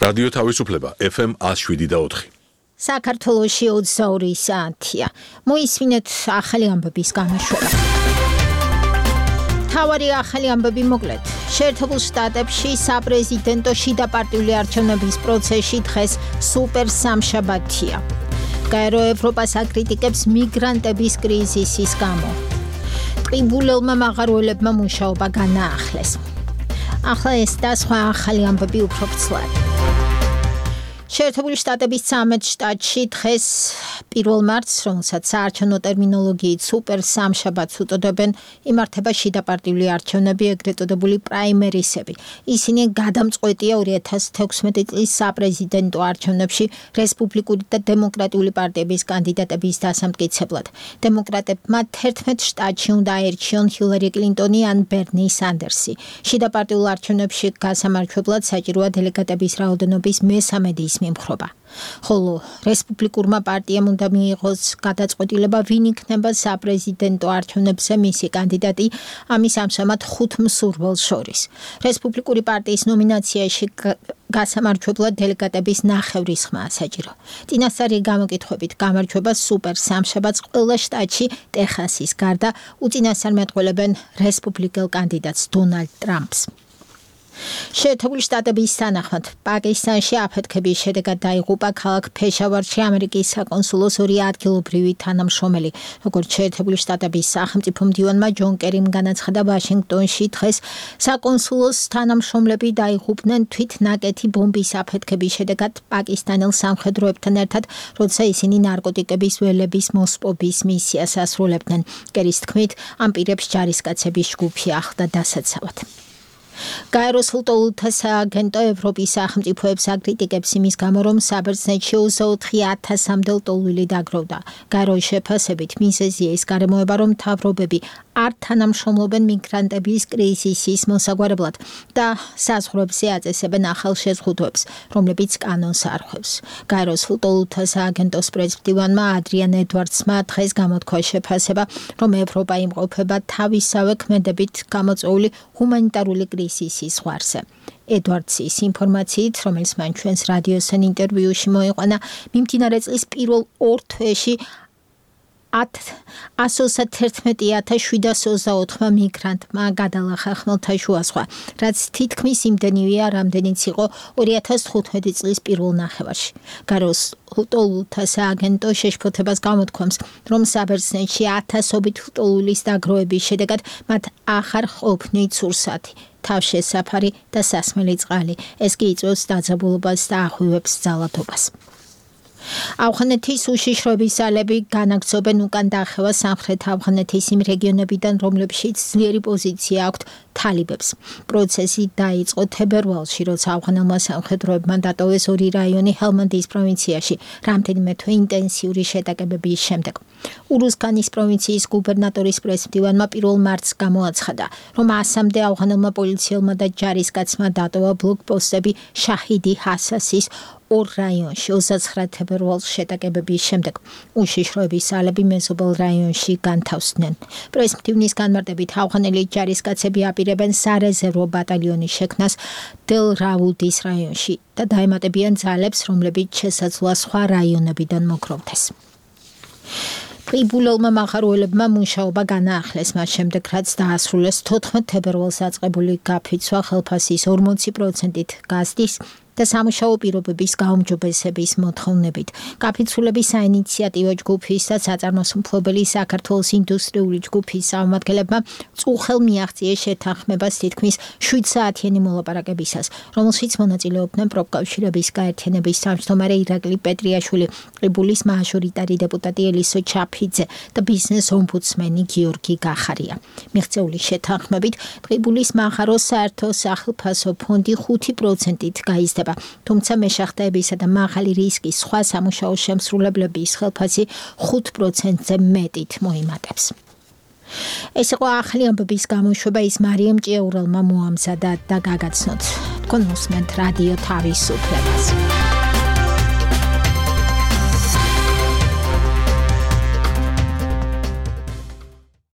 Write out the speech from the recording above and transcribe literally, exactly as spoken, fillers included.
რადიო თავისუფლება ეფ ემ one oh seven და four. საქართველოში ოცდაორი საათია. მოისმინეთ ახალი ამბების გამოშვება. თავარი ახალი ამბები მოკლედ. შეერთებულ შტატებში საპრეზიდენტო შიდა პარტიული არჩევნების პროცესში დღეს სუპერ სამშაბათია. გაერო ევროპას აკრიტიკებს მიგრანტების კრიზისის გამო. ტყიბულელმა მაღაროელებმა მუშაობა განაახლეს. ახლა ეს და სხვა ახალი ამბები უფრო ვრცლად. შეერთებული შტატების ცამეტ შტატში დღეს პირველ მარტს, რომელსაც საარჩევნო ტერმინოლოგიით სუპერ სამშაბათს უწოდებენ, იმართება შიდა პარტიული არჩევნები, ეგრეთ წოდებული პრაიმერისები. ისინი გადამწყვეტია ორი ათას თექვსმეტი წლის საპრეზიდენტო არჩევნებში რესპუბლიკური და დემოკრატიული პარტიების კანდიდატების დასამტკიცებლად. დემოკრატებმა თერთმეტ შტატში უნდა აერჩიონ ჰილარი კლინტონი ან ბერნი სანდერსი. შიდა პარტიულ არჩევნებში გასამარჯვებლად საჭიროა დელეგატების რაოდენობის მესამედის მიმხრობა. ხოლო რესპუბლიკურმა პარტიამ უნდა მიიღოს გადაწყვეტილება, ვინ იქნება საპრეზიდენტო არჩევნებზე მისი კანდიდატი, ამის ამჟამად ხუთ მსურველს შორის. რესპუბლიკური პარტიის ნომინაციაში გასამარჯვებლად დელეგატების ნახევრის ხმაა საჭირო. წინასწარი გამოკითხვებით გამარჯვება სუპერ სამშაბათს ყველა შტატში ტეხასის გარდა უწინასწარმეტყველებენ რესპუბლიკელ კანდიდატს დონალდ ტრამპს. შეერთებული შტატების თანახმად პაკისტანში აფეთქების შედეგად დაიღუპა ქალაქ ფეშავარში ამერიკის საკონსულოს ორი ადგილობრივი თანამშრომელი. როგორც შეერთებული შტატების სახელმწიფო მდივანმა ჯონ კერიმ განაცხადა, ვაშინგტონში დღეს საკონსულოს თანამშრომლები დაიღუპნენ თვითნაკეთი ბომბის აფეთქების შედეგად პაკისტანელ სამხედროებთან ერთად, როცა ისინი ნარკოტიკების ველების მოსპობის მისიას ასრულებდნენ. კერის თქმით, ამ პირებს ჯარისკაცების ჯგუფი ახლდა დასაცავად. გაეროს ლტოლთა სააგენტო ევროპის სახელმწიფოებს აკრიტიკებს იმის გამო, რომ საბერძნეთში ოცდაოთხი ათასამდე ლტოლვილი დაგროვდა. გაეროს შეფასებით მიზეზია ის გარემოება, რომ მთავრობები არ თანამშრომლობენ მიგრანტების კრიზისის მოსაგვარებლად და საზღვრებზე აწესებენ ახალ შეზღუდვებს, რომლებიც კანონს არხვევს. გაეროს ლტოლთა სააგენტოს პრეზიდენტმა ადრიან ედვარდსმა დღეს გამოთქვა შეფასება, რომ ევროპა იმყოფება თავისავე ქმედებით გამოწვეული ჰუმანიტარული კრიზისის ზღვარზე. ედვარდსის ინფორმაციით, რომელიც მან ჩვენს რადიოსთან ინტერვიუში მოიყვანა, მიმდინარე წლის პირველ ორ თვეში ასოცი თერთმეტი ათას შვიდას ოცდაოთხმა მიგრანტმა გადალახა ხმელთაშუა ზღვა, რაც თითქმის იმდენივეა, რამდენიც იყო ორი ათას თხუთმეტი წლის პირველ ნახევარში. გაეროს ლტოლთა სააგენტო შეშფოთებას გამოთქვამს, რომ საბერძნეთში ათასობით ლტოლვილის დაგროვების შედეგად მათ აღარ ყოფნით სურსათი, თავშესაფარი და სასმელი წყალი. ეს კი იწვევს დაძაბულობას და აღვივებს ძალადობას. ავღანეთის უშიშროების ძალები განაგრძობენ უკან დახევა სამხრეთ ავღანეთის იმ რეგიონებიდან, რომლებშიც ძლიერი პოზიცია აქვთ თალიბებს. პროცესი დაიწყო თებერვალში, როცა ავღანელმა სამხედროებმა დატოვეს ორი რაიონი ჰელმანდის პროვინციაში, რამდენიმე თვე ინტენსიური შეტაკებების შემდეგ. ურუზგანის პროვინციის გუბერნატორის პრესმდივანმა პირველ მარტს გამოაცხადა, რომ ასამდე ავღანელმა პოლიციელმა და ჯარისკაცმა დატოვა ბლოკპოსტები შაჰიდი ჰასასის ორ რაიონში ოცდაცხრა თებერვალს შეტაკებების შემდეგ. უშიშროების ძალები მეზობელ რაიონში განთავსდნენ. პრესმდივნის განმარტებით ავღანელი ჯარისკაცები აპირებენ სარეზერვო ბატალიონის შექმნას დელ რაულდის რაიონში და დაემატებიან ძალებს, რომლებიც შესაძლოა სხვა რაიონებიდან მოგროვდეს. ტყიბულელმა მაღაროელებმა მუშაობა განაახლეს მას შემდეგ, რაც დაასრულეს თოთხმეტ თებერვალს დაწყებული გაფიცვა ხელფასის ორმოცი პროცენტით გაზდის და სამუშაო პირობების გაუმჯობესების მოთხოვნებით. გაფიცვლების საინიციატივო ჯგუფის და საწარმოსმფლობელი საქართველოს ინდუსტრიული ჯგუფის წარმომადგენლებმა წუხელ მიაღწიეს შეთანხმებას თითქმის შვიდ საათიანი მოლაპარაკებისას, რომელშიც მონაწილეობდნენ პროფკავშირების გაერთიანების თავმჯდომარე ირაკლი პეტრიაშვილი, ტყიბულის მაჟორიტარი დეპუტატი ელისო ჩაფიძე და ბიზნეს ომბუდსმენი გიორგი გახარია. მიღწეული შეთანხმებით ტყიბულის მაღაროს საერთო სახელფასო ფონდი ხუთი პროცენტით გაიზრდება. თუმცა მეშახტეებისა და მაღალი რისკის სხვა სამუშაო შემსრულებლების ხელფასი ხუთ პროცენტზე მეტით მოიმატებს. ეს იყო ახალი ამბების გამოშვება, ის მარიამ ჭიაურელმა მოამზადა და გაგაცნოთ. თქვენ უსმენთ რადიო თავისუფლებას.